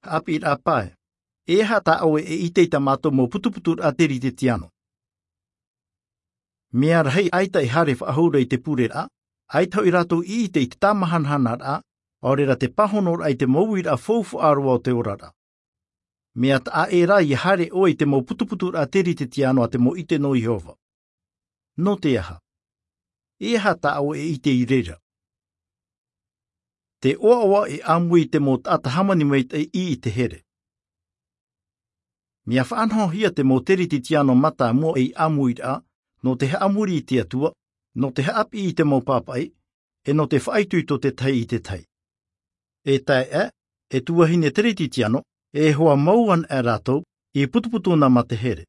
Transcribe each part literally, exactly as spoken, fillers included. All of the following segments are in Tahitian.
ʻāpīraʻa pae. E aha tā ʻoe e ʻite i tā mātou mau putuputuraʻa teritetiano? Mea rahi, ʻaita e haere faʻahou ra i te pureraʻa, ʻaita hoʻi rātou i ʻite i te tāmahanahanaraʻa, ʻaore rā te pāhonoraʻa i te mau uiraʻa faufaʻa roa o te oraraʻa. Mea taʻa ʻē rā ia haere ʻoe i te mau putuputuraʻa teritetiano a te mau ʻite nō Iehova. Nō te aha? E aha tā ʻoe e ʻite i reira? Te ʻoaʻoa e ʻāmui i te mau taʻata hāmani maitaʻi i te here. Mea faʻanahohia te mau teritetiano mātāmua ei ʻāmuiraʻa, nō te haʻamori i te Atua, nō te haʻapiʻi i te mau pāpaʻi, e nō te faʻaitoito te tahi i te tahi. E taeaʻe, e tuahine teritetiano, e hoa mau ana rātou, i putuputu na mā te here.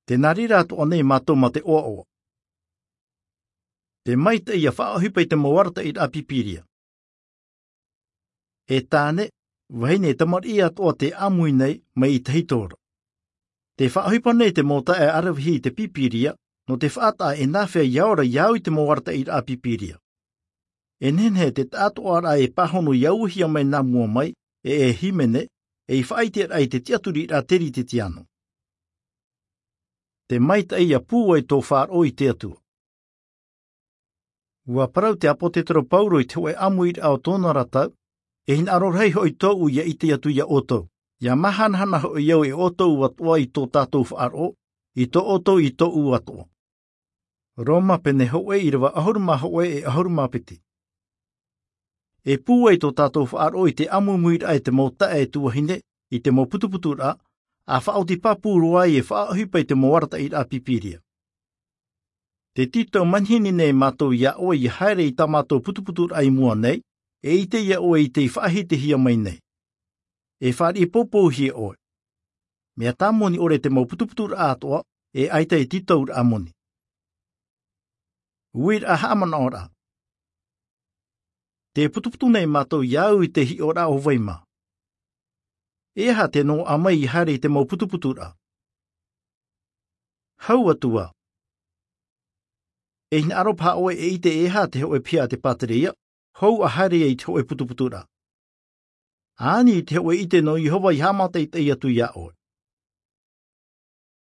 Tē nā reira atoʻa nei mātou mā te ʻoaʻoa. Te maitaʻi ia faʻaʻohipa i te mau arataʻiraʻa Pīpīria. E tāne, vahine, e tamariʻi atoʻa tē ʻāmui nei mai i tahito ra. Tē faʻaʻohipa nei te mau taeaʻe aravihi i te Pīpīria, nō te faʻataʻa e nāfea ia ora ia au i te mau arataʻiraʻa Pīpīria. E nehenehe te taʻatoʻaraʻa e pāhono ia uahia mai nā mua mai, e e hīmene, ei faʻaʻiteraʻa i te tiʻaturiraʻa teritetiano. Te maitaʻi ia pūai tō faʻaroʻo i te Atua. Ua parau te ʻāpōsetolo Paulo i te hōʻē ʻāmuiraʻa o tōna ra tau, e hinaʻaro rahi hoʻi tōʻu ia ʻite atu ia ʻoutou, ia māhanahana hoʻi au e ʻoutou atoʻa i tō tātou faʻaroʻo, i tō ʻoutou i tōʻu atoʻa. Roma pene hōʻē ʻīrava ʻahuru mā hōʻē e ʻahuru mā piti. E pūai tō tātou faʻaroʻo i te ʻāmuimuiraʻa e te mau taeaʻe tuahine, i te mau putuputuraʻa, ʻa faʻaoti pāpū roa ai e faʻaʻohipa i te mau arataʻiraʻa Pīpīria. Tē tītau manihini nei mātou ia ʻoe ia haere i tā mātou putuputuraʻa i mua nei, e ʻite ia ʻoe i tei faʻahitihia mai nei. E fāriʻi poupouhia ʻoe. Mea tāmoni ʻore te mau putuputuraʻa atoʻa, e ʻaita e tītauraʻa moni. Uiraʻa haʻamanaʻoraʻa. Tē putuputu nei mātou ia au i te hiʻoraʻa o vai mā. E aha te noaʻa mai ia haere i te mau putuputuraʻa? Hau atu ā. E hinaʻaro paha ʻoe e ʻite e aha te hōʻē piha a te pātireia, hou ʻa haere ai i te hōʻē putuputuraʻa. Ani i te hōʻē ʻite nō Iehova i haʻamātaʻitaʻi atu ia ʻoe.